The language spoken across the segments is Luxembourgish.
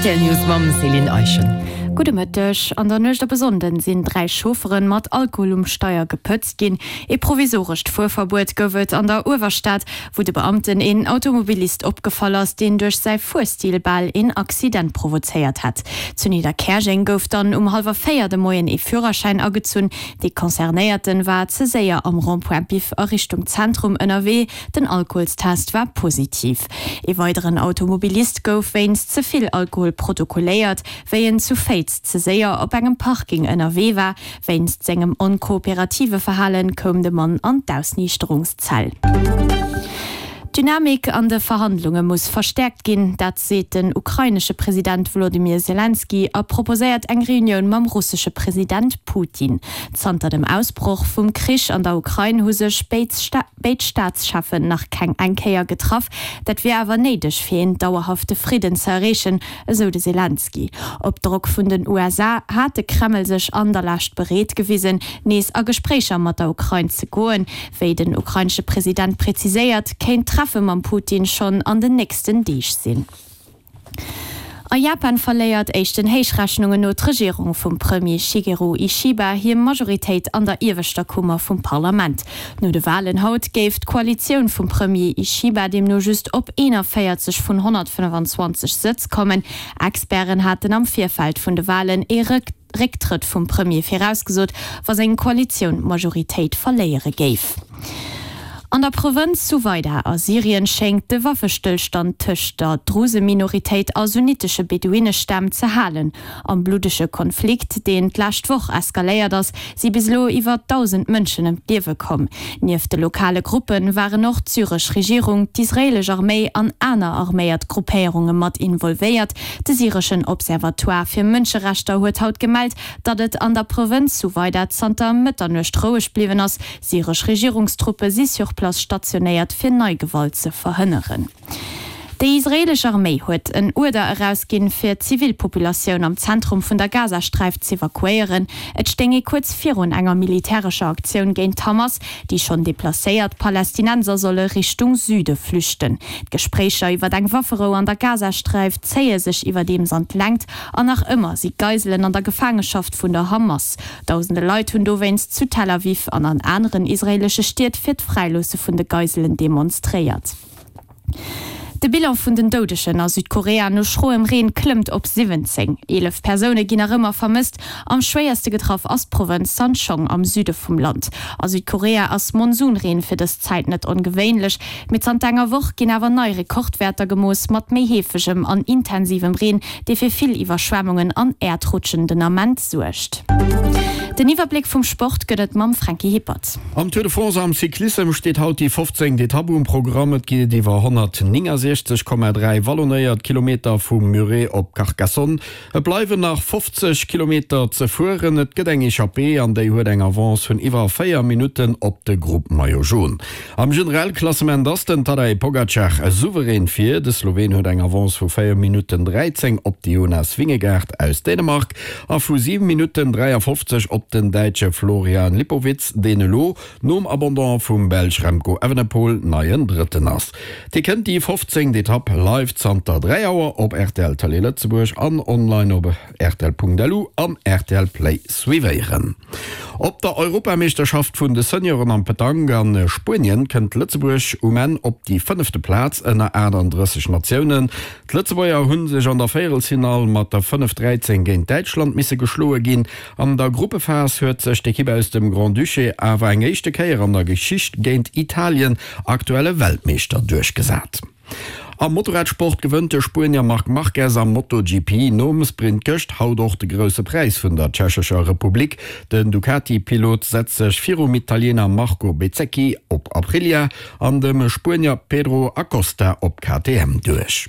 Rtl News mam Céline Eischen. Gudde Mëtteg. An der Nuecht op e Sonnden sinn 3 Chauffere mat Alkohol um Steier gepëtzt ginn. Ee provisorescht Fuerverbuet gouf et an der Uewerstad, wou de Beamten een Automobilist opgefall ass, deen duerch säi Fuerstil bal een Accident provozéiert hätt. Zu Nidderkäerjeng gouf dann um hallwer 4 de Moien ee Führerschäin agezunn. Dee Concernéierten war ze séier am Rond-point Biff a Richtung Zentrum ënnerwee. Den Alkoholstest war positiv. Ee weideren Automobilist gouf wéinst ze vill Alkohol protokolléiert, wéi en zu Féiz ze séier op engem Parking ënnerwee war. Wéinst sengem onkooperative Verhalen koum de Mann an d'Ausniichterungszell. D'Dynamik an de Verhandlunge muss verstäerkt ginn, dat seet den ukrainesche President Wolodymyr Selenskyj a proposéiert eng Reunioun mam russesche President Putin. Zanter dem Ausbroch vum Krich an der Ukrain hu sech béid Staatscheffen nach keng eng Kéier getraff. Dat wier awer néideg, fir een dauerhafte Fridden ze erreechen, esou de Selenskyj. Op Drock vun den USA hat de Kreml sech an der Lescht bereet gewisen, nees a Gespréicher mat der Ukrain ze goen. Wéi den ukrainesche President präziséiert, kéint d'Treffe mam Putin schonn an den nächsten Deeg sinn. A Japan verléiert éischten Héichrechnungen no d'Regierung vum Premier Shigeru Ishiba hir Majoritéit an der ieweschter Kummer vum Parlament. No de Walen haut géif d'Koalitioun vum Premier Ishiba deemno just op 41 vun 125 Sëtz kommen. Experten haten am Virfeld vun de Walen ee Récktrëtt vum Premier virausgesot, wa seng Koalitioun d'Majoritéit verléiere géif. An der Provënz Suwaida a Syrien schéngt de Waffestëllstand tëscht der Druse-Minoritéit a sunnitesche Beduinestämm ze halen. Am bluddege Konflikt, deen d'lescht Woch eskaléiert ass, si bis elo iwwer 1.000 Mënschen ëm d'Liewe komm. Nieft de lokale Gruppe waren och d'syresch Regierung, d'israeelesch Arméi an aner arméiert Gruppéierunge mat involvéiert. De syreschen Observatoire fir Mënscherechter huet haut gemellt, datt et an der Provënz Suwaida zanter Mëtternuecht roueg bliwwen ass. Syresch Regierungstruppe si sur place stationéiert, fir nei Gewalt ze verhënneren. Déi israeelesch Arméi huet en Uerder erausginn, fir d'Zivilpopulatioun am Zentrum vun der Gazasträif z'evakuéieren. Et stéing ee kuerz virun enger militärescher Aktioun géint d'Hamas. Déi schonn deplacéiert Palästinenser solle Richtung Süde flüchten. D'Gespréicher iwwer eng Wafferou an der Gazasträif zéie sech iwwerdeems an d'Längt an nach ëmmer si Geiselen an der Gefaangeschaft vun der Hamas. Dausende Leit hunn dowéinst zu Tel Aviv an an aneren israeelesche Stied fir d'Fräiloosse vun de Geiselen demonstréiert. De Bilan vun den Doudegen a Südkorea no schroem Reen klëmmt op 17. 11 Persoune ginn nach ëmmer vermësst. Am schwéierste getraff ass d'Provënz Sancheong am Süde vum Land. A Südkorea ass Monsunreen fir dës Zäit net ongewéinlech, mee zanter enger Woch ginn awer nei Rekordwäerter gemooss mat méi heefegem an intensivem Reen, dee fir vill Iwwerschwemmungen an Äerdrutschen den Ament suergt. Den Iwwerbléck vum Sport gëtt et mam Franky Hippert. Am Tour de France am Cyclissem steet haut déi 15. Etapp um Programm. Et geet iwwer 169,3 wallonéiert Kilometer vu Muret op Carcassonne. Et bleiwen nach 50 Kilometer ze fueren. Et gëtt eng Echappée an déi huet eng Avance vun iwwer 4 Minutten op de Grupp Maillot Jaune. Am Generalklassement ass den Tadej Pogacar souverän vir. De Sloween huet eng Avance vu 4 Minutten 13 op de Jonas Vingegaard aus Dänemark. A vu 7 Minutten 53 op den Däitsche Florian Lipowitz, deen elo nom Abandon vum Belsch Remco Evenepoel neien Drëtten ass. Dir kënnt déi 15. Etapp live zanter 3 Auer op rtl Tëlee Lëtzebuerg an online op rtl.lu an rtl Play suivéieren. Op der Europameeschterschaft vun de Senioren am Petanque a Spuenien kënnt Lëtzebuerg um Enn op déi fënnefte Plaz ënner 38 Natiounen. D'Lëtzebuerger hu sech an der Véierelsfinall mat der 5, 13 géint Däitschland misse geschloe ginn. An der Gruppephas huet sech d'Ekipp aus dem Grand-Duché awer eng éischte Kéier an der Geschicht géint Italien, aktuelle Weltmeeschter, duerchgesat. Am Motorradsport gewënnt de Spuenier Marc Marquez am MotoGP nom Sprint gëscht haut och de Grousse Präis vun der Tschechescher Republik. Den Ducati-Pilot setzt sech virum Italiener Marco Bezzecchi op Aprilia an dem Spuenier Pedro Acosta op KTM duerch.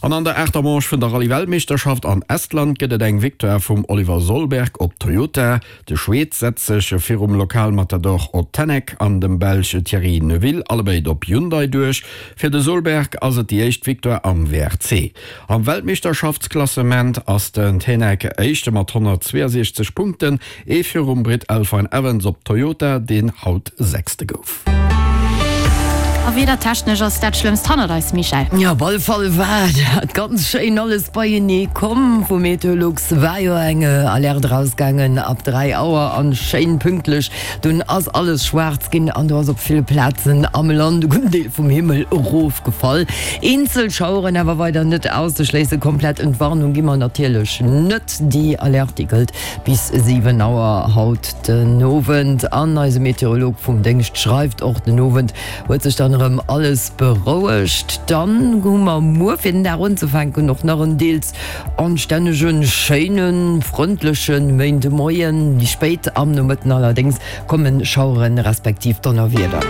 An an der aachter Manche vun der Rallye-Weltmeeschterschaft an Estland gëtt et eng Victoire vum Oliver Solberg op Toyota. De Schweed setzt sech virum Lokalmatador Ott Tänak an dem Belsch Thierry Neuville, allebéid op Hyundai, duerch. Fir de Solberg ass et déi éischt Victoire am WRC. Am Weltmeeschterschaftsklassement ass den Tänak Éischte mat 162 Punkten, Ee virum Britt Elfyn Evans op Toyota, deen haut Sechste gouf. A wiedertechnesch ass dat Schlëmmst hannert eis, Michèle. Jo, op alle Fall war dat ganz schéin alles beienee komm. Vu Meteolux war jo eng Alerte erausgaangen ab 3 Auer an schéin pünktlech dunn ass alles schwaarz ginn an do ass op ville Plazen am Land e gudden Deel vum Himmel erofgefall. Eenzel Schaueren awer weider net auszeschléissen. Komplett Entwarnung gi mer natierlech net. Déi Alerte, déi gëllt bis 7 Auer haut den Owend. An eise Meteorolog vum Déngscht schreift, Och den Owend huet sech dann erëm alles berouegt. Dann hu mer muer fir den Dag unzefänken och nach en deels anstännegen, schéinen, frëndleche Méindemoien. Méi spéit am Nomëtten allerdéngs komme Schaueren respektiv Donnerwieder.